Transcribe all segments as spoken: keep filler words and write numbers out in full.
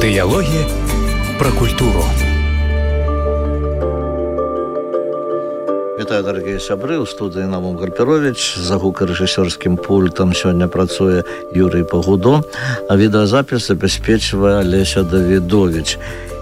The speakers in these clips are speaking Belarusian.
Дыялогі пра культуру. Вітаю, дарагія сябры, у студыі Наум Гарперович. За гукарэжысёрскім пультам сёння працуе Юрый Пагудо, а відэазапіс забяспечвае Алеся Давідович.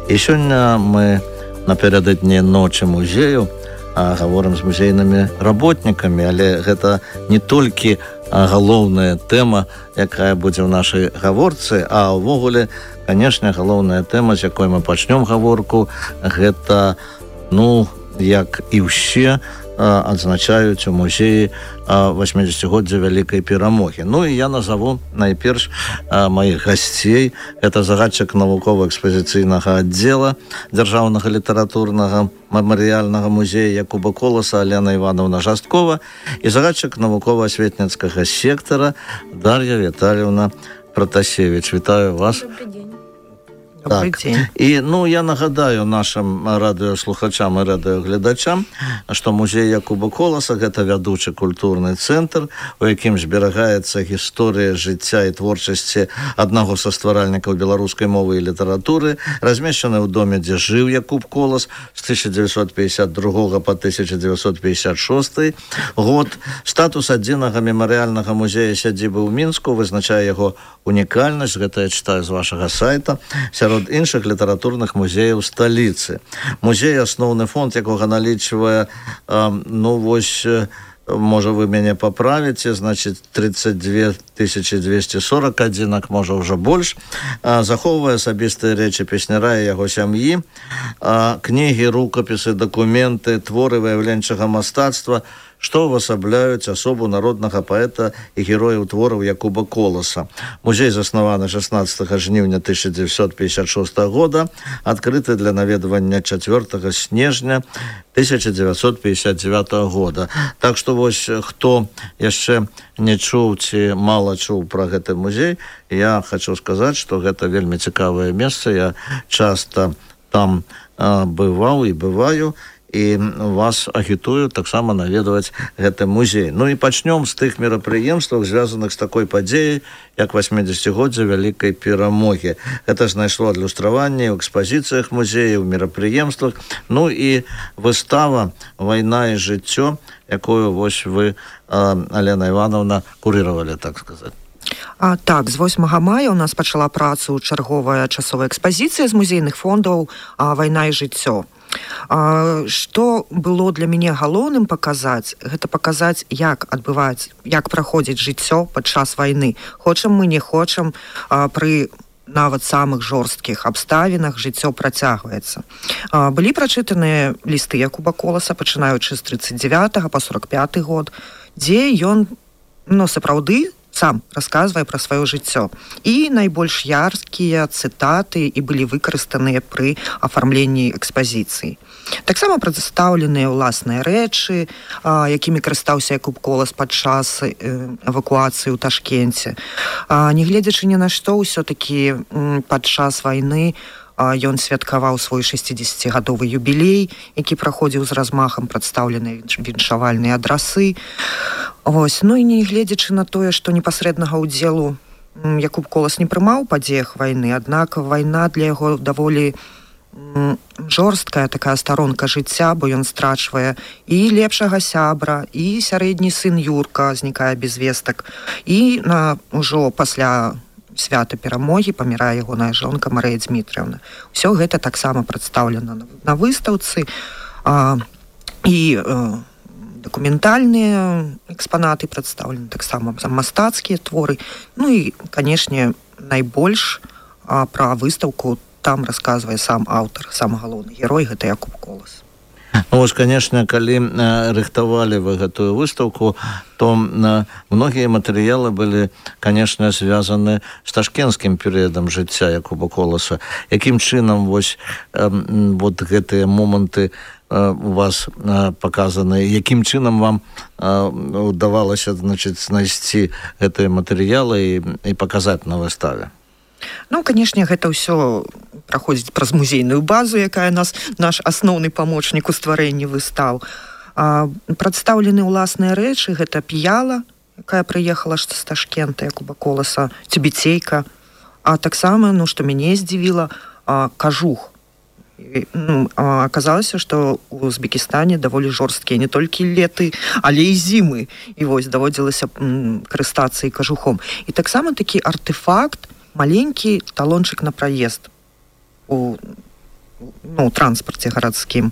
І сёння мы напярэдадні ночы музею а гаворым з музейнымі работнікамі, але гэта не толькі галоўная тэма, якая будзе ў нашай гаворцы, а ўвогуле, канешне, галоўная тэма, з якой мы пачнём гаворку, гэта, ну, як і ўсе адзначаюць у музеі восьмідзесяцігоддзя Вялікай Перамогі. Ну і я назову найперш маіх гасцей. Это загадчык навукова-экспазіцыйнага аддзела Дзяржаўнага літаратурнага мемарыяльнага музея Якуба Коласа Алена Івановна Жасткова і загадчык навукова-асветніцкага сектара Дар'я Віталіўна Пратасевіч. Вітаю вас. Добрый день. Так. І, ну, я нагадаю нашим радыёслухачам і радыёгледачам, што музей Якуба Коласа – гэта вядучы культурны цэнтр, у якім зберагаецца гісторыя жыцця і творчасці аднаго са стваральнікаў беларускай мовы і літаратуры, размешчаны ў доме, дзе жыў Якуб Колас з тысяча дзевяцьсот пятьдесят другога па тысяча дзевяцьсот пятьдесят шосты год. Статус адзінага мемарыяльнага музея сядзібы ў Мінску вызначае яго унікальнасць, гэта я читаю з вашага сайта, сярод іншых літаратурных музеяў сталіцы. Музей, асноўны фонд якога налічвае, ну, вось, можа, вы мяне паправіце, значыць, тридцать две тысячи двести сорок адзінак, можа, ўжо больш, захоўвае асабістыя рэчы песняра і яго сям'і, кнігі, рукапісы, дакументы, творы выяўленчага мастацтва, што ўвасабляюць асобу народнага паэта і герояў твораў Якуба Коласа. Музей заснаваны шаснаццатага жніўня тысяча дзевяцьсот пятьдесят шостага года, адкрыты для наведвання чацвёртага снежня тысяча дзевяцьсот пятьдесят девятага года. Так што вось, хто яшчэ не чуў ці мала чуў пра гэты музей, я хочу сказаць, што гэта вельмі цікавае месца. Я часта там а, бываў і бываю, і вас агітую таксама наведваць гэты музей. Ну і пачнём з тых мерапрыемстваў, звязаных з такой падзеяй, як восьмідзесяцігоддзя Вялікай Перамогі. Гэта знайшло адлюстраванне ў экспазіцыях музея, ў мерапрыемствах. Ну і выстава «Вайна і жыццё», якую вось вы, Алена Івановна, курыравалі, так сказаць. А, так, з восьмага мая у нас пачала працу чарговая часовая экспазіцыя з музейных фондаў «Вайна і жыццё». А, што было для мяне галоўным паказаць, гэта паказаць, як адбываць, як праходзіць жыццё падчас вайны. Хочам мы, не хочам, а, пры нават самых жорсткіх абставінах жыццё працягваецца. А, былі прачытаныя лісты Якуба Коласа, пачынаючы з тридцать девятага па сорок пяты год, дзе ён, ну, сапраўды, сам расказвае пра сваё жыццё. І найбольш яркія цытаты і былі выкарыстаныя пры афармленні экспазіцыі. Таксама прадстаўленыя ўласныя рэчы, а, якімі карыстаўся Якуб Колас падчас э, эвакуацыі ў Ташкенце. А, нягледзячы ні на што, ўсё-такі падчас вайны ён святкаваў свой шэсцідзесяцігадовы юбілей, які праходзіў з размахам, прадстаўленыя віншавальныя адрасы. Вось. Ну і не гледзячы на тое, што непасрэднага ўдзелу Якуб Колас не прымаў у падзеях вайны, аднак вайна для яго даволі жорсткая такая старонка жыцця, бо ён страчвае і лепшага сябра, і сярэдні сын Юрка знікае без вестак, і на, ужо пасля свята Перамогі памірае ягоная жонка Марыя Дмітрыўна. Усё гэта таксама прадстаўлена на выстаўцы, а, і а, дакументальныя экспанаты прадстаўлены, таксама мастацкія творы. Ну і, канешне, найбольш а, пра выстаўку там расказвае сам аўтар, сам галоўны герой, гэта Якуб Колас. Ну, вось, канешне, калі э, рыхтавалі вы гэтую выстаўку, то э, многія матэрыялы былі, канешне, звязаны з ташкенскім перыядам жыцця Якуба Коласа. Якім чынам вось, э, вот гэтыя моманты э, у вас э, паказаны, якім чынам вам э, удавалася, значыць, знайсці гэтыя матэрыялы і, і паказаць на выставе? Ну, канешне, гэта ўсё праходзіць праз музейную базу, якая нас, наш асноўны памочнік у стварэнні выстаў. А, прадстаўлены ўласныя рэчы, гэта п'яла, якая прыехала з Ташкента, Якуба Коласа, цюбіцейка, А таксама, ну, што мяне здзівіла, кажух. Ну, аказалася, што ў Узбекістане даволі жорсткія не толькі леты, але і зімы. І вось даводзілася карыстацца і кажухом. І таксама такі артефакт, маленькі талончык на праезд у, ну, у транспарце гарадскім.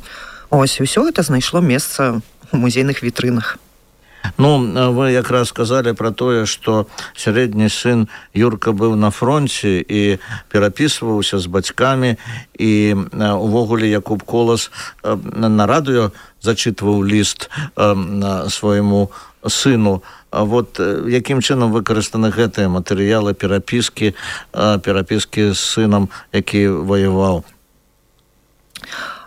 Ось, і ўсё гэта знайшло месца у музейных вітрынах. Ну, вы якраз сказалі пра тое, што сярэдні сын Юрка быў на фронце і перапісваўся з бацькамі, і увогуле Якуб Колас на радыё зачытваў ліст свайму сыну. Вот якім чынам выкарыстаны гэтыя матэрыялы перапіскі, перапіскі з сынам, які воеваў?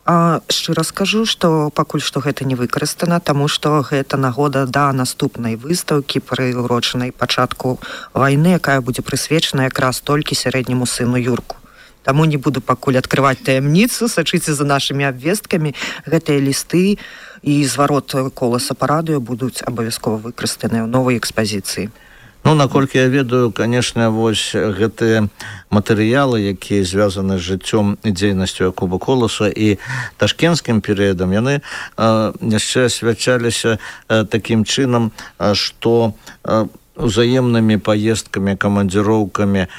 А, шчыра скажу, што пакуль што гэта не выкарыстана, таму што гэта нагода да наступнай выстаўкі, прыурочанай пачатку вайны, якая будзе прысвечана якраз толькі сярэдняму сыну Юрку. Таму не буду пакуль адкрываць таямніцу, сачыце за нашымі абвесткамі. Гэтыя лісты і зварот Коласа па радыё будуць абавязкова выкарыстаныя ў новай экспазіцыі. Ну, наколькі я ведаю, канешне, вось гэтыя матэрыялы, якія звязаны з жыццём і дзейнасцю Якуба Коласа і ташкенцкім перыядам, яны э, яшчэ асвячаліся э, такім чынам, э, што э, узаемнымі паездкамі, камандзіроўкамі.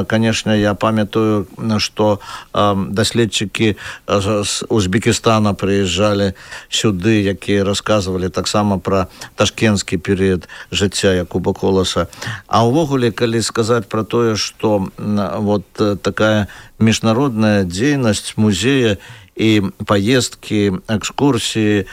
Канешне, я памятаю, што даследчыкі з Узбекістана прыязджалі сюды, якія расказвалі таксама пра ташкенцкі перыяд жыцця Якуба Коласа. А ўвогуле, калі сказаць пра тое, што вот такая міжнародная дзейнасць музея і паездкі, экскурсіі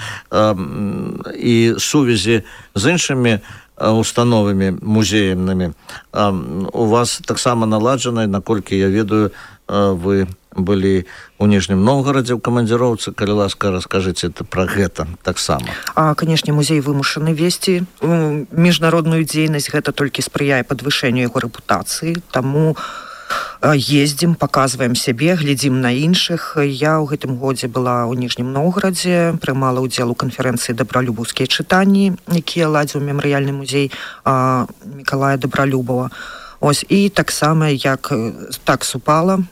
і сувязі з іншымі установамі музейнымі у вас таксама наладжаны, наколькі я ведаю, вы былі ў Ніжнім Новгарадзе ў камандзіроўцы. Калі ласка, раскажыце пра гэта таксама. А, канешне, музей вымушаны весці міжнародную дзейнасць, гэта толькі спрыяе падвышэнню яго рэпутацыі, таму ездзім, паказваем сябе, глядзім на іншых. Я ў гэтым годзе была ў Ніжнім Новгарадзе, прымала ўдзел у канферэнцыі «Дабралюбаўскія чытанні», якія ладзіў мемарыяльны музей а, Мікалая Дабралюбава. Ось, і таксама, як так супала,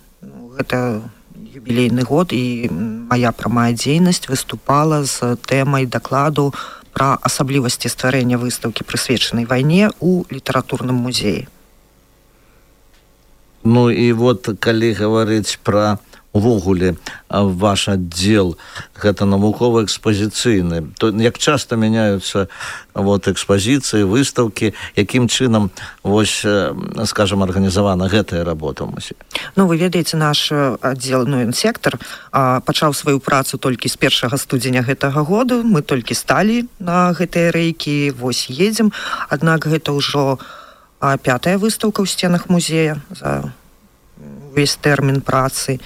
гэта юбілейны год, і мая прамая дзейнасць выступала з тэмай дакладу пра асаблівасці стварэння выстаўкі, прысвечанай вайне ў літаратурным музеі. Ну і вот, калі гаварыць пра увогуле ваш аддзел, гэта навукова-экспазіцыйны, то як часта мяняюцца вот экспазіцыі, выстаўкі, якім чынам, вось, скажам, арганізавана гэтая работа ў музеі? Ну, вы ведаеце, наш аддзел, ну, сектар пачаў сваю працу толькі з першага студзеня гэтага году. Мы толькі сталі на гэтыя рэйкі, вось едзем. Аднак гэта ўжо пятая выстаўка ў сценах музея за увесь тэрмін працы.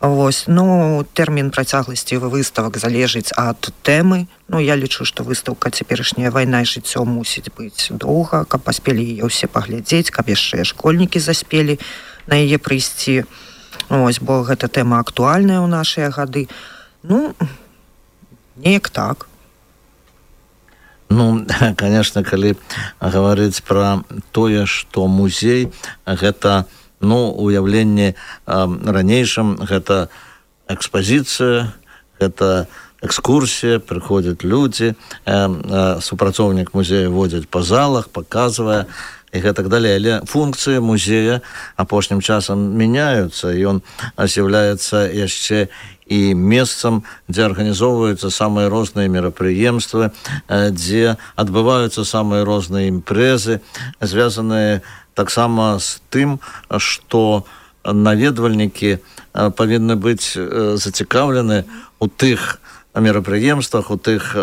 Вось, ну, тэрмін працягласці выставак залежыць ад тэмы. Ну, я лічу, што выстаўка цяперашняя «Вайна і жыццё» мусіць быць доўга, каб паспелі яе ўсе паглядзець, каб яшчэ школьнікі заспелі на яе прыйсці. Вось, бо гэта тэма актуальная ў нашыя гады. Ну, неяк так. Ну, конечно, калі гаварыць пра тое, што музей гэта, ну, уяўленне ранейшым, гэта экспазіцыя, гэта экскурсія, прыходзяць людзі, супрацоўнік музея водзяць па залах, паказвае і гэтак далей. Але функцыі музея апошнім часам мяняюцца, і ён з'яўляецца яшчэ і месцам, дзе арганізоўваюцца самыя розныя мерапрыемствы, дзе адбываюцца самыя розныя імпрэзы, звязаныя таксама з тым, што наведвальнікі павінны быць зацікаўлены ў тых мерапрыемствах, у тых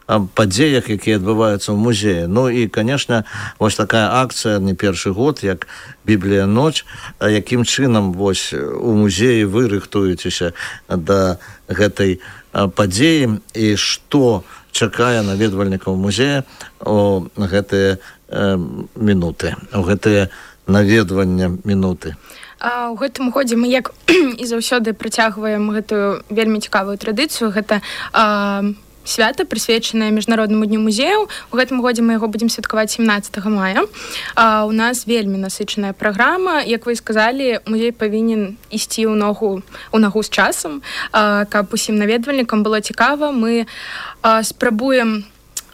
падзеях, якія адбываюцца ў музеі. Ну і, канешне, вось такая акцыя не першы год, як «Біблія ноч», якім чынам вось у музеі вы рыхтуецеся да гэтай падзеі і што чакае наведвальнікаў музея у гэтыя мінуты, у гэтыя наведвання мінуты. А ў гэтым годзе мы, як і заўсёды, працягваем гэтую вельмі цікавую традыцыю. Гэта а, свята, прысвечанае міжнароднаму дню музеяў. У гэтым годзе мы яго будзем святкаваць семнаццатага мая. А, у нас вельмі насычаная праграма. Як вы сказалі, музей павінен ісці ў ногу у нагу з часам, а, каб усім наведвальнікам было цікава. Мы а, спрабуем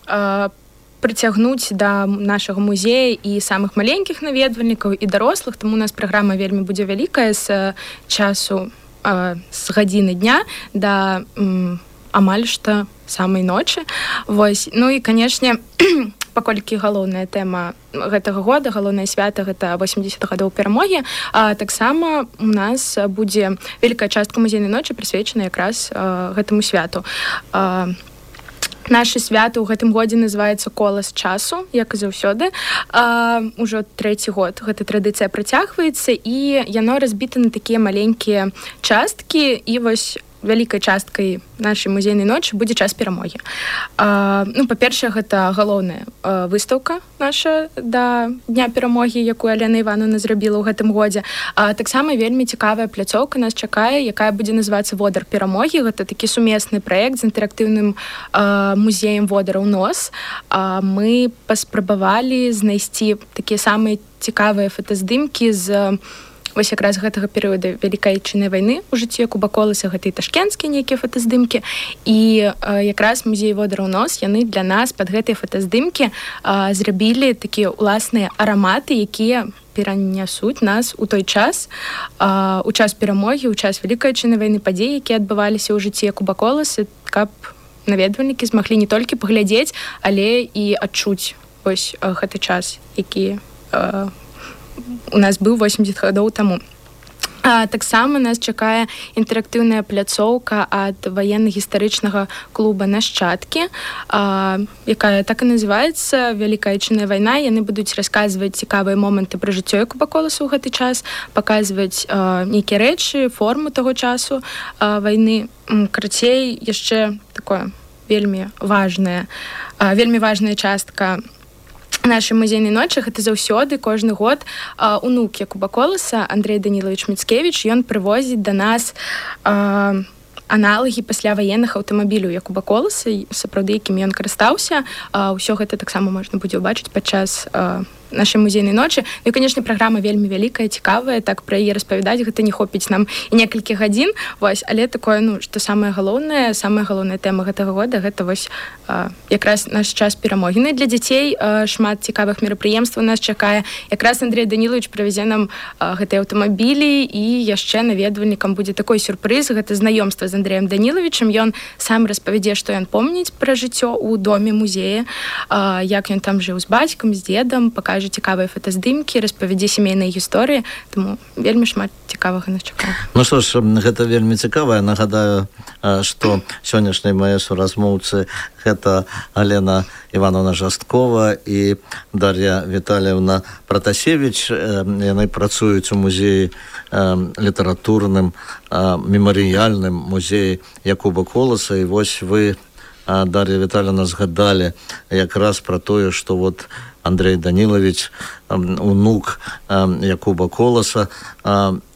а, прыцягнуць да нашага музея і самых маленькіх наведвальнікаў і дарослых, таму у нас праграма вельмі будзе вялікая з часу, а, з гадзіны дня да м, амаль што самай ночы. Вось. Ну і, канешне, паколькі галоўная тэма гэтага года, галоўнае свята, гэта восемьдесят гадоў перамогі, а таксама у нас будзе вялікая частка музейнай ночы прысвечана якраз а, гэтаму святу. А, Нашы святы ў гэтым годзе называецца «Колас часу», як і заўсёды. А, ужо трэці год гэта традыцыя працягваецца, і яно разбіта на такія маленькія часткі, і вось вялікай часткай нашай музейнай ночы будзе час перамогі. А, ну, па-першае, гэта галоўная а, выстаўка наша да дня перамогі, якую Алена Івановна зрабіла ў гэтым годзе. А таксама вельмі цікавая пляцоўка нас чакае, якая будзе называцца «Водар перамогі». Гэта такі сумесны праект з інтэрактыўным а, музеем водара ў нос. А, мы паспрабавалі знайсці такія самыя цікавыя фотаздымкі з вось якраз гэтага перыяда Вялікай Айчыннай вайны ў жыцці Якуба Коласа, гэта і ташкенцкія нейкія фотаздымкі, і а, якраз музей водара ў нос, яны для нас пад гэтыя фотаздымкі а, зрабілі такія ўласныя араматы, якія перанясуць нас у той час, а, у час перамогі, у час Вялікай Айчыннай вайны, падзеі, якія адбываліся ў жыцці Якуба Коласа, каб наведвальнікі змаглі не толькі паглядзець, але і адчуць вось гэты час, які а, у нас быў восемьдесят гадоў таму. А, таксама нас чакае інтэрактыўная пляцоўка ад ваенна-гістарычнага клуба «Нашчадкі», а, якая так і называецца «Вялікая Айчынная вайна». Яны будуць расказваць цікавыя моманты пра жыццё Якуба Коласа ў гэты час, паказваць а, нейкія рэчы, форму таго часу а, вайны. Карацей, яшчэ такое вельмі важная, а, вельмі важная частка нашай музейнай ночы, гэта заўсёды кожны год а, унук Якуба Коласа, Андрей Данілович Міцкевіч, ён прывозіць да нас а, аналагі пасляваенных аўтамабіляў Якуба Коласа, сапраўды якімі ён карыстаўся. А, ўсё гэта таксама можна будзе ўбачыць падчас а, нашай музейнай ночы. Ну і, канешне, праграма вельмі вялікая, цікавая, так пра яе распавядаць гэта не хопіць нам і некалькі гадзін, вось, але такое, ну, што самае галоўнае, самая галоўная тэма гэтага года, гэта вось а, якраз наш час перамогі. Ну і для дзяцей а, шмат цікавых мерапрыемстваў нас чакае. Якраз Андрей Данілович прывязе нам а, гэтыя аўтамабілі, і яшчэ наведвальнікам будзе такой сюрпрыз, гэта знаёмства з Андреем Даніловичем. Ён сам распавядзе, што ён помніць пра жыццё ў доме музея, а, як ён там жыў з бацькам, з дзедам, пакажа цікавыя фотаздымкі, распавядзе сямейныя гісторыі, таму вельмі шмат цікавага нас чакае. Ну што ж, гэта вельмі цікава. Я нагадаю, што сённяшнія мае суразмоўцы гэта Алена Івановна Жасткова і Дар'я Віталіевна Пратасевіч. Яны працуюць у музеі літаратурным, мемарыяльным музеі Якуба Коласа. І вось вы, Дар'я Віталіевна, згадалі якраз пра тое, што вот Андрей Данілович, унук Якуба Коласа.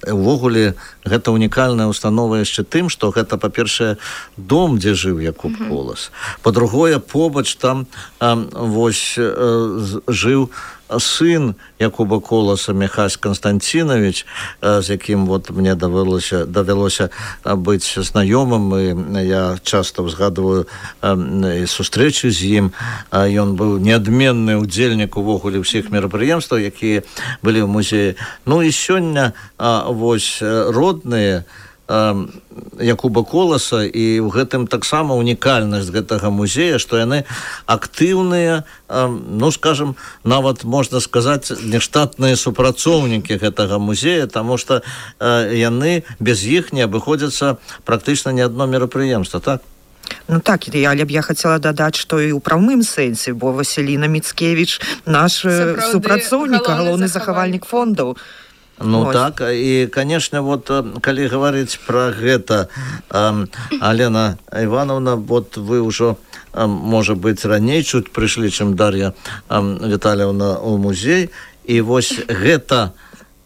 Увогуле, гэта унікальная установа яшчэ тым, што гэта, па-першае, дом, дзе жыў Якуб mm-hmm. Колас. Па-другое, побач там вось жыў сын Якуба Коласа, Михась Константинович, з якім вот мне давялося, давялося быць знаёмым, і я часто згадываю сустрэчы з ім. Ён быў неадменны ўдзельнік увогуле ўсіх мерапрыемстваў, якія былі ў музеі. Ну і сёння вось родныя Якуба Коласа, і ў гэтым таксама унікальнасць гэтага музея, што яны актыўныя, ну, скажем, нават можна сказаць, нештатныя супрацоўнікі гэтага музея, таму што яны без іх не абыходзяцца практычна ні адно мерапрыемства, так? Ну так, але б я хацела дадаць, што і ў прамым сэнсе, бо Васіліна Міцкевіч наш Сапраўды, супрацоўнік, галоўны захавальнік фондаў. Ну Ось. Так, і, канешне, вот, калі гаварыць пра гэта, э, Алена Івановна, вот вы ўжо, э, можа быць, раней чуць прыйшлі, чым Дар'я э, Віталіевна ў музей, і вось гэта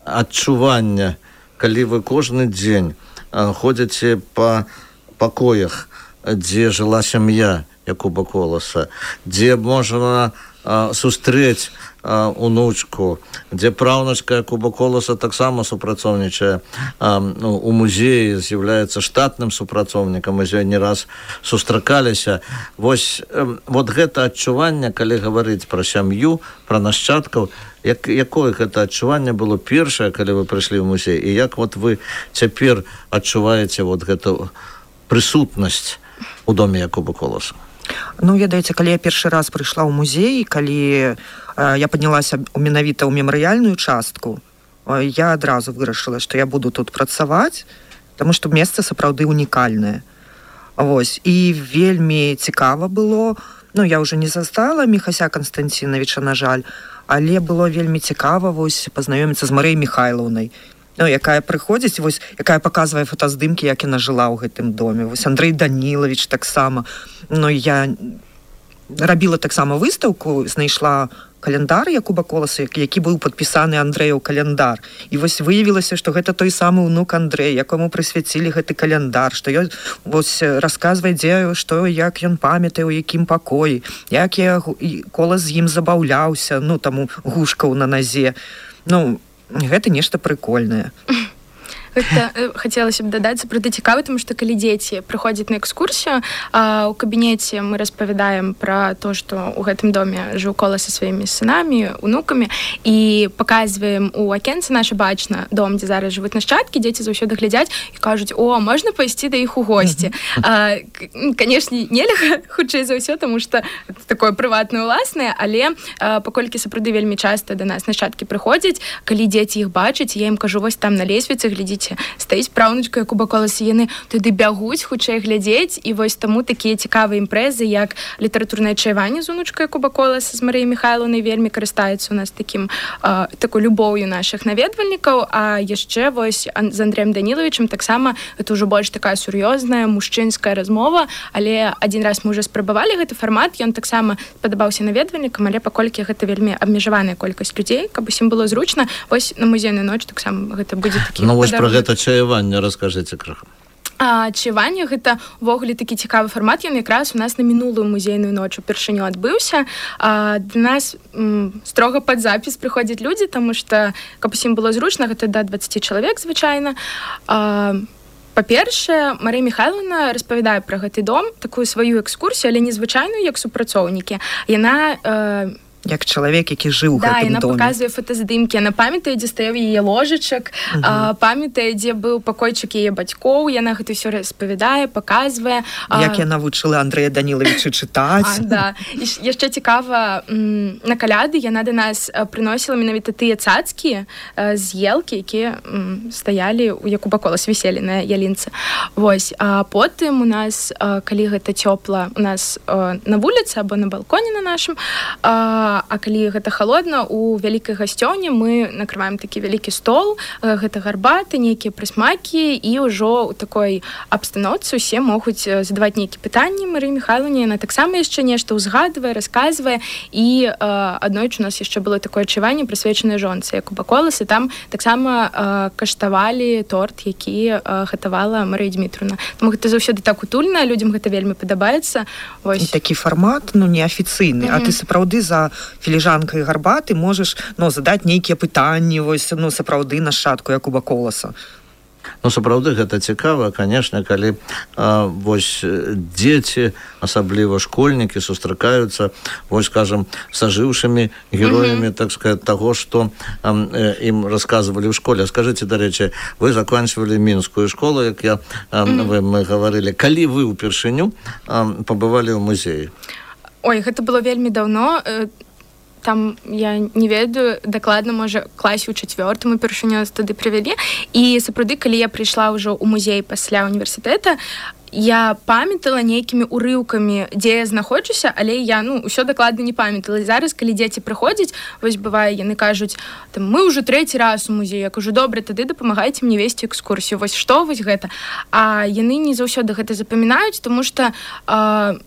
адчуванне, калі вы кожны дзень э, ходзіце па пакоях, дзе жыла сям'я Якуба Коласа, дзе можна сустрэць унучку, дзе праўнучка Якуба Коласа таксама супрацоўнічае у музеі, з'яўляецца штатным супрацоўнікам, мы з ёй не раз сустракаліся. Вось вот гэта адчуванне, калі гаварыць пра сям'ю, пра нашчадкаў, як, якое гэта адчуванне было першае, калі вы прыйшлі ў музей, і як вот вы цяпер адчуваеце вот гэту прысутнасць у доме Якуба Коласа? Ну, ведаеце, калі я першы раз прыйшла ў музей, калі э, я паднялася менавіта ў мемарыяльную частку, э, я адразу вырашыла, што я буду тут працаваць, таму што месца сапраўды унікальнае. Вось. І вельмі цікава было, ну, я ўжо не застала Міхася Канстанціновича, на жаль, але было вельмі цікава вось пазнаёміцца з Марыяй Міхайлаўнай, ну, якая прыходзіць, вось, якая паказвае фотаздымкі, як яна жыла ў гэтым доме. Вось Андрэй Данілавіч таксама. Ну, я рабіла таксама выстаўку, знайшла календар Якуба Коласа, які быў падпісаны Андрэяў календар. І вось выявілася, што гэта той самы ўнук Андрэй, якому прысвяцілі гэты календар, што ён вось расказвае, дзе, што, як ён памятае, у якім пакоі, як я Колас з ім забаўляўся, ну, таму гушкаў на назе. Ну, гэта нешта прыкольнае. Гэта хацелася б дадаць, сапраўды цікава, тому што калі дзеці прыходзяць на экскурсію, а, у кабінеце мы распавядаем пра то, што ў гэтым доме жыў Колас са сваімі сынамі, унукамі, і паказваем у акенцы наша бачна дом, дзе зараз жывуць нашчадкі, дзеці заўсёды глядзяць і кажуць: о, можна пайсці да іх у госці. А, канешне, нельга, хутчэй за ўсё, таму што такое прыватнае, уласнае, але а, паколькі сапраўды вельмі часта да нас нашчадкі прыходзяць, калі дзеці іх бачаць, я ім кажу: вось там на лесвіцы, глядзіце, стаіць праўнучка Якуба Коласа, яны туды бягуць, хутчэй глядзець, і вось таму такія цікавыя імпрэзы, як літаратурнае чаяванне з унучкай Якуба Коласа, з Марыяй Міхайлаўнай, вельмі карыстаюцца у нас такім, а, такой любоўю нашых наведвальнікаў. А яшчэ вось з Андрэем Данілавічам таксама гэта ўжо больш такая сур'ёзная мужчынская размова, але адзін раз мы ўжо спрабавалі гэты фармат, ён таксама спадабаўся наведвальнікам, але паколькі гэта вельмі абмежаваная колькасць людзей, каб усім было зручна, вось на музейную ноч таксама гэта будзе такі падарунак. Гэта чаяванне, раскажыце крыху. А, чаяванне гэта ўвогуле такі цікавы фармат, ён якраз у нас на мінулую музейную ноч упершыню адбыўся. А, да нас м, строга пад запіс прыходзяць людзі, таму што, каб усім было зручна, гэта да дваццаць чалавек звычайна. А, па-першае, Марыя Міхайлаўна распавядае пра гэты дом, такую сваю экскурсію, але незвычайную, як супрацоўнікі. Яна э, як чалавек, які жыў у да, гэтым доме. Да, яна паказвае фотаздымкі, яна памятае, дзе стаяў яе ложачак, uh-huh. а, памятае, дзе быў пакойчык яе бацькоў, яна гэта ўсё распавядае, паказвае. Як а... яна вучыла Андрэя Данілавіча чытаць. А, да. І яшчэ цікава, м, на каляды яна да нас прыносіла менавіта тыя цацкі а, з елкі, якія м, стаялі у Якуба Коласа, віселі на ялінцы. Вось. А потым у нас, а, калі гэта цёпла, у нас а, на вуліцы або на балконе на нашым, а, а калі гэта халодна, у вялікай гасцёўні мы накрываем такі вялікі стол, гэта гарбаты, нейкія прысмакі, і ўжо ў такой абстаноўцы усе могуць задаваць нейкія пытанні Марыі Міхайлаўне, яна таксама яшчэ нешта ўзгадвае, расказвае, і э, аднойчы у нас яшчэ было такое чаяванне прысвечанае жонцы Якуба Коласа, там таксама э, каштавалі торт, які э, гатавала Марыя Дмітровна. Таму гэта заўсёды так утульна, людзям гэта вельмі падабаецца. Вось. І такі фармат, ну, неафіцыйны, mm-hmm. а ты сапраўды за філіжанкай гарбаты можаш, ну, задаць нейкія пытанні, вось, ну, сапраўды нашчадку Якуба Коласа. Ну, сапраўды гэта цікава, канешне, калі а, вось дзеці, асабліва школьнікі, сустракаюцца, вось, скажам, с ажыўшымі героямі, mm-hmm. так сказать, таго, што а, ім расказвалі ў школе. Скажыце, дарэчы, вы заканчвалі мінскую школу, як я, а, mm-hmm. вы, мы гаварылі. Калі вы ўпершыню а, пабывалі ў музеі? Ой, гэта было вельмі даўно. Там, я не ведаю, дакладна, можа, класе ў чацвёртым упершыню нас туды прывялі. І сапраўды, калі я прыйшла ўжо ў музей пасля універсітэта, я памятала нейкімі урыўкамі, дзе я знаходжуся, але я, ну, ўсё дакладна не памятала. І зараз, калі дзеці прыходзяць, вось бывае, яны кажуць, там, мы ўжо трэці раз у музеі. Я кажу: добра, тады дапамагайце мне весці экскурсію. Вось што, вось гэта. А яны не заўсёды гэта запамінаюць, таму што... Э,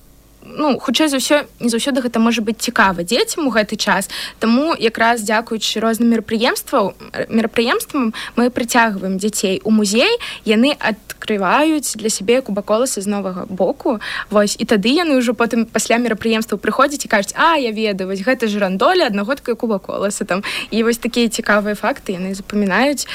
ну, хутчэй за ўсё, не заўсёды гэта можа быць цікава дзецям у гэты час. Таму якраз дзякуючы розным мерапрыемствам, мерапрыемствам мы прыцягваем дзяцей у музей, яны адкрываюць для сябе кубаколасы з новага боку. Вось, і тады яны ўжо потым пасля мерапрыемстваў прыходзяць і кажуць: а, я ведаю, вось гэта жырандоля, аднаго такая кубаколаса там. І вось такія цікавыя факты яны запамінаюць.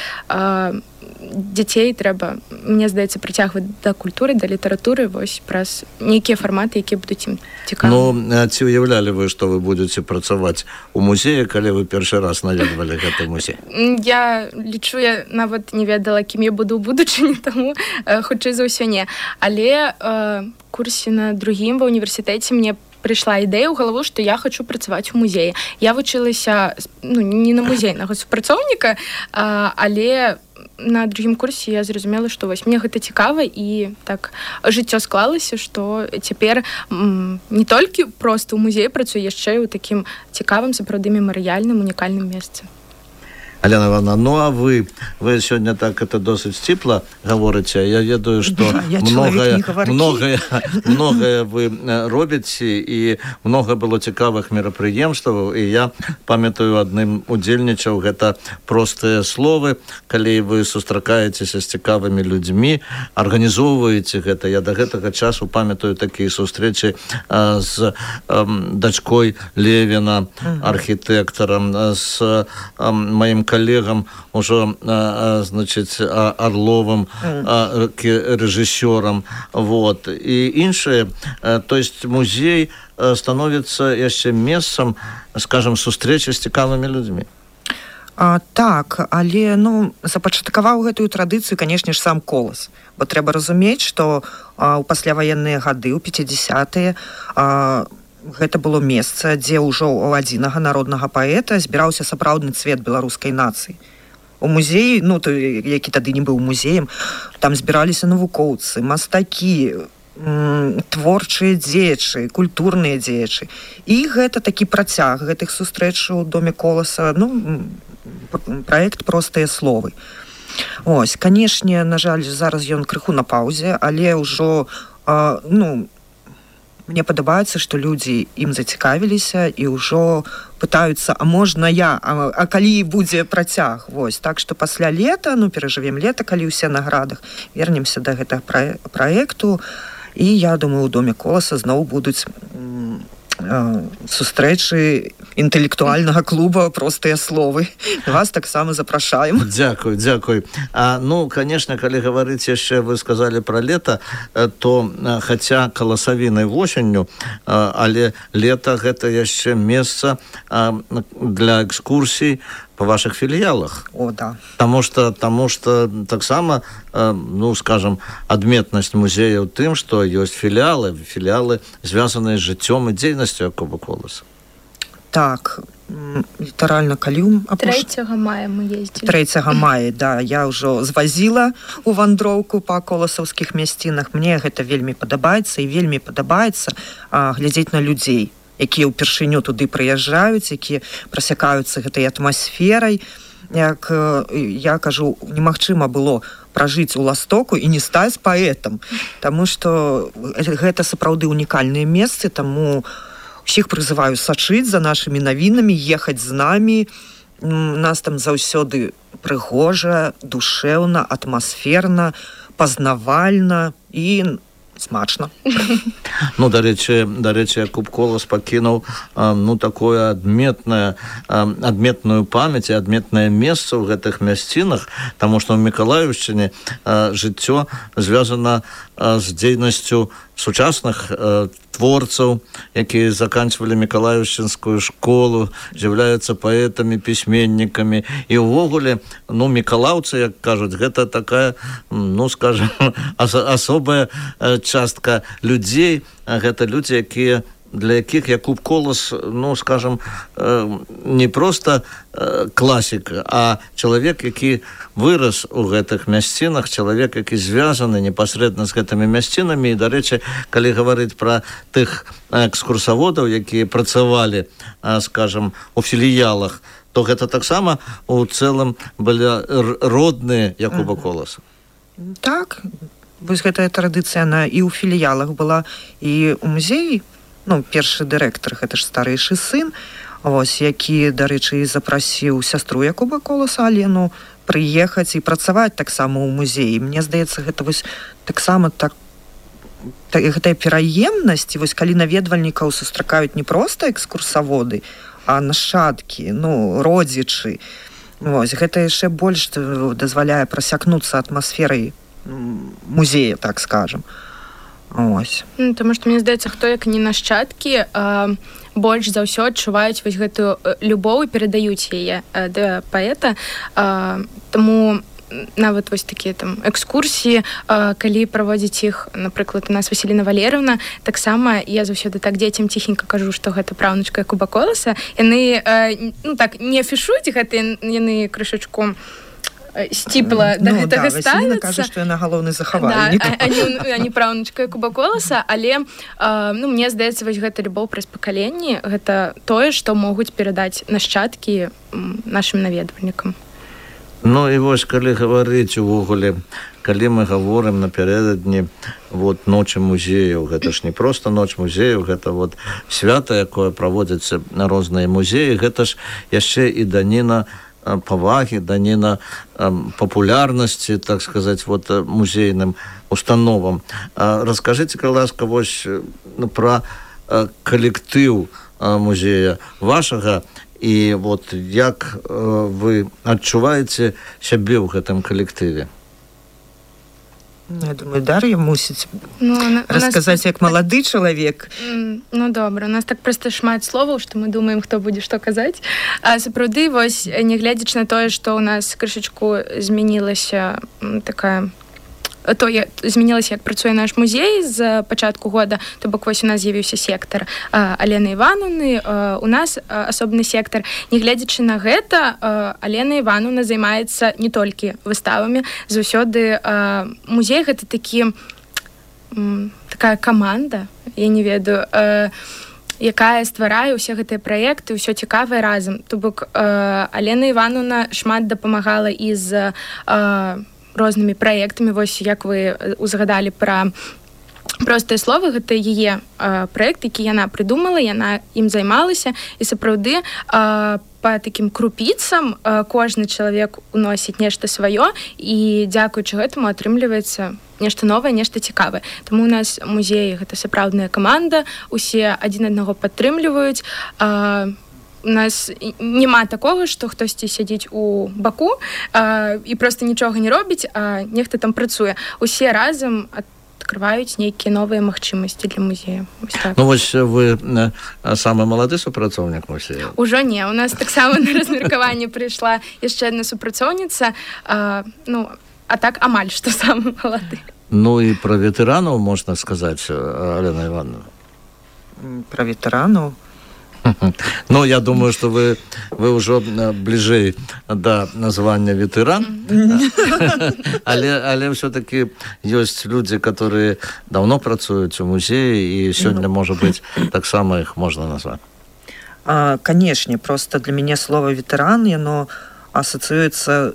Дзяцей трэба, мне здаецца, прыцягваць да культуры, да літаратуры, вось праз нейкія фарматы, якія будуць ім цікавы. Ну, ці уяўлялі вы, што вы будзеце працаваць у музеі, калі вы першы раз наведвалі гэты музей? Я лічу, я нават не ведала, кім я буду ў будучыні, таму хутчэй за ўсё не. Але э, курсе на другім ва універсітэце мне прыйшла ідэя ў галаву, што я хачу працаваць у музеі. Я вучылася, ну, не на музейнага супрацоўніка, а, але на другім курсе я зразумела, што вось мне гэта цікава, і так жыццё склалася, што цяпер м, не толькі проста ў музеі працую, яшчэ і ў такім цікавым, сапраўды мемарыяльным, унікальным месцы. Алена Івановна, ну а вы, вы сёння так это досыць сціпла гаворыце. Я ведаю, што я многае, многае, многае вы робіце, і много было цікавых мерапрыемстваў, і я памятаю, адным удзельнічаў, гэта простыя словы, калі вы сустракаецеся з цікавымі людзьмі, арганізоўваеце гэта. Я да гэтага часу памятаю такія сустрэчы а, з а, дачкой Левіна, архітэктарам, з а, маім коллегам уже, значит, Орловым, режиссером, вот, и іншие. То есть музей становится еще местом, скажем, сустрэчы з цікавымі людзьмі. А, так, але, ну, запачаткаваў гэтую традыцыю, канешне ж, сам Колас. Бо трэба разумець, што а, у пасляваенныя гады, у пяцідзясятыя, а, гэта было месца, дзе ўжо у адзінага народнага паэта збіраўся сапраўдны цвет беларускай нацыі. У музеі, ну, то, які тады не быў музеем, там збіраліся навукоўцы, мастакі, м, творчыя дзеячы, культурныя дзеячы. І гэта такі працяг гэтых сустрэч у доме Коласа, ну, праект «Простыя словы». Ось, канешне, на жаль, зараз ён крыху на паўзе, але ўжо, а, ну, мне падабаецца, што людзі ім зацікавіліся і ўжо пытаюцца, а можна я, а, а калі будзе працяг? Вось, так што пасля лета, ну, перажывем лета, калі ўсе на градах, вернемся да гэтага праекту, і я думаю, у доме Коласа зноў будуць сустрэчы інтэлектуальнага клуба «Простыя словы». Вас таксама запрашаем. Дзякуй, дзякуй. А, ну, конечно, калі гаварыць яшчэ, вы сказали про лето, то хаця каласавінай восенню, але лето гэта яшчэ месца для экскурсій по ваших филиалах. О, да. Потому что, потому что таксама, ну, скажем, адметнасць музея ў тым, што ёсць філіалы, філіалы, звязаныя з жыццём і дзейнасцю Якуба Коласа. Так, літаральна калі... трэцяга мая мы ездзілі. трэцяга мая, да, я ўжо звазіла у вандроўку па коласаўскіх мясцінах. Мне гэта вельмі падабаецца, і вельмі падабаецца а, глядзець на людзей, якія ўпершыню туды прыязджаюць, якія прасякаюцца гэтай атмасферай. Як я кажу, немагчыма было пражыць у Ластоку і не стаць паэтам, таму што гэта сапраўды унікальныя месцы, таму усіх прызываю сачыць за нашымі навінамі, ехаць з намі. Нас там заўсёды прыгожа, душэўна, атмасферна, пазнавальна і смачна. Ну, дарэчы, дарэчы, Якуб Колас пакінуў ну, такое адметнае, адметную памяць і адметнае месца ў гэтых мясцінах, таму што ў Мікалаеўшчыне жыццё звязана з дзейнасцю сучасных творцаў, якія заканчвалі Мікалаеўшчынскую школу, з'яўляюцца паэтамі, пісьменнікамі. І ўвогуле, ну, мікалаўцы, як кажуць, гэта такая, ну, скажем, асобая частка людзей, гэта людзі, якія для якіх Якуб Колас, ну, скажем, не просто класік, а чалавек, які вырас у гэтых мясцінах, чалавек, які звязаны непасрэдна з гэтымі мясцінамі. І, дарэчы, калі гаварыць пра тых экскурсаводаў, якія працавалі, скажем, у філіялах, то гэта таксама у цэлым былі родныя Якуба Коласа. Так, вось гэтая традыцыя, она і ў філіялах была, і ў музеі. Ну, першы дырэктар, гэта ж старэйшы сын, вось, які, дарэчы, запрасіў сястру Якуба Коласа, Алену, прыехаць і працаваць таксама ў музеі. Мне здаецца, гэта вось таксама так, так гэтая пераемнасць, вось калі наведвальнікаў сустракаюць не проста экскурсаводы, а нашчадкі, ну, родзічы. Вось, гэта яшчэ больш дазваляе прасякнуцца атмасферай музея, так скажем. Ось. Ну, тому што, мне здаецца, хто як не нашчадкі, а, больш за ўсё адчуваюць вось гэтую любоў і перадаюць яе да паэта. А, таму нават вось такія там экскурсіі, а, калі праводзіць іх, напрыклад, у нас Васіліна Валерыўна, таксама я заўсёды так дзецям ціхенька кажу, што гэта праўнучка Якуба Коласа. Яны, а, ну так, не афішуюць гэта, яны крышачку сціпла да ну, гэтага да, ставіцца. Кажа, што яна галоўны захавальнік. Да, а не праўнучка Якуба Коласа, але а, ну, мне здаецца, вось гэта любоў праз пакаленні, гэта тое, што могуць перадаць нашчадкі нашым наведвальнікам. Ну і вось, калі гаварыць увогуле, калі мы гаворым напярэдадні вот, ночы музеяў, гэта ж не проста ноч музеяў, гэта вот свята, якое праводзіцца на розныя музеі, гэта ж яшчэ і даніна павагі, даніна папулярнасці, так сказаць, вот, музейным установам. Раскажыце, калі ласка, вось пра калектыў музея вашага, і вот як вы адчуваеце сябе ў гэтым калектыве? Я думаю, Дар'я мусіць ну, расказаць, нас... як малады чалавек. Ну, добра. У нас так проста шмат словаў, што мы думаем, хто будзе што казаць. А сапраўды, вось, нягледзячы на тое, што ў нас крышачку змянілася такая... то я змянілася, як працуе наш музей з пачатку года, то бок вось у нас з'явіўся сектар Алены Івановны, у нас асобны сектар. Нягледзячы на гэта, Алена Івановна займаецца не толькі выставамі, заўсёды музей гэта такі такая каманда, я не ведаю, якая стварае ўсе гэтыя праекты, ўсё цікавае разам. То бок Алена Івановна шмат дапамагала і з рознымі праектамі, вось як вы узгадалі пра простыя словы, гэта яе праект, які яна прыдумала, яна ім займалася, і сапраўды па такім крупіцам кожны чалавек уносіць нешта сваё, і дзякуючы гэтаму атрымліваецца нешта новае, нешта цікавае. Таму у нас музей гэта сапраўдная каманда, усе адзін аднаго падтрымліваюць. У нас няма такога, што хтосьці сядзіць у баку а, і проста нічога не робіць, а нехта там працуе. Усе разам адкрываюць нейкія новыя магчымасці для музея. Так. Ну вось вы самы малады супрацоўнік музея? Ужо не. У нас таксама на размеркаванне прыйшла яшчэ адна супрацоўніца, а, ну, а так амаль што самы малады. Ну і пра ветэранаў можна сказаць, Алена Івановна? Пра ветэранаў? Ну, я думаю, что вы, вы уже ближе до названия ветеран, але, але все-таки есть люди, которые давно працуют в музее, и сегодня, может быть, так само их можно назвать. А, конечно, просто для меня слово ветеран, оно ассоциируется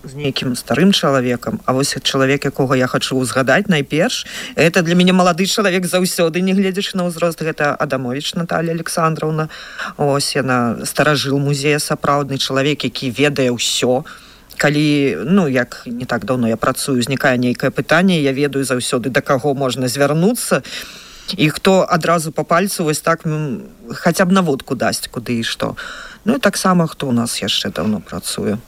з нейкім старым чалавекам, а вось чалавек, якога я хачу ўзгадаць найперш, это для мяне малады чалавек заўсёды, не гледзячы на ўзрост, гэта Адамовіч Наталья Александровна. Ось яна старажыл музея, сапраўдны чалавек, які ведае ўсё. Калі, ну, як не так даўно я працую, узнікае нейкае пытанне, я ведаю заўсёды, да каго можна звярнуцца, і хто адразу па пальцу вось так хаця б наводку дасць, куды і што. Ну і таксама, хто у нас яшчэ даўно працуе.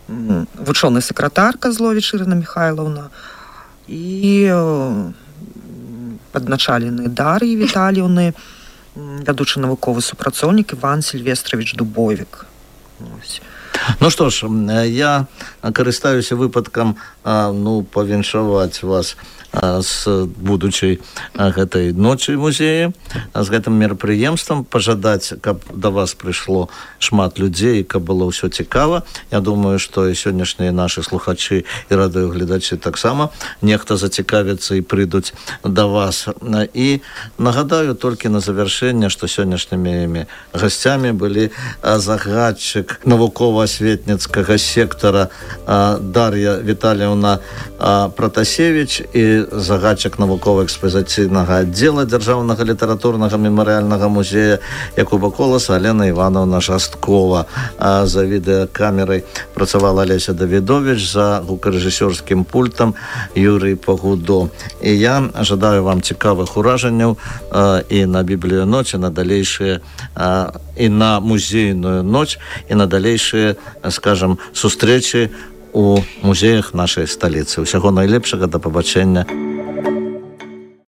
Вучоны сакратар Казловіч Ірына Михайловна і падначалены Дар'і Віталіўны, вядучы навуковы супрацоўнік Іван Сільвестравіч Дубовік. Ось. Ну што ж, я карыстаюся выпадкам ну, павіншаваць вас з будучай гэтай ночы музея, з гэтым мерапрыемствам, пажадаць, каб да вас прыйшло шмат людзей, каб было ўсё цікава. Я думаю, што і сённяшнія нашы слухачы і радыёгледачы таксама нехта зацікавіцца і прыйдуць да вас. І нагадаю толькі на завяршэнне, што сённяшнімі гасцямі былі загадчык навуковага прасветніцкага сектара Дар'я Віталіўна Пратасевіч і загадчык навукова-экспазіцыйнага аддзела Дзяржаўнага літаратурнага мемарыяльнага музея Якуба Коласа Алена Івановна Жасткова. За відэакамерай працавала Леся Давідович, за гукарэжысёрскім пультам Юрый Пагудо. І я жадаю вам цікавых уражанняў і на біблію ноч, і на далейшыя і на музейную ноч, і на далейшыя, скажем, сустрэчы у музеях нашай сталіцы. Усяго найлепшага, да пабачэння.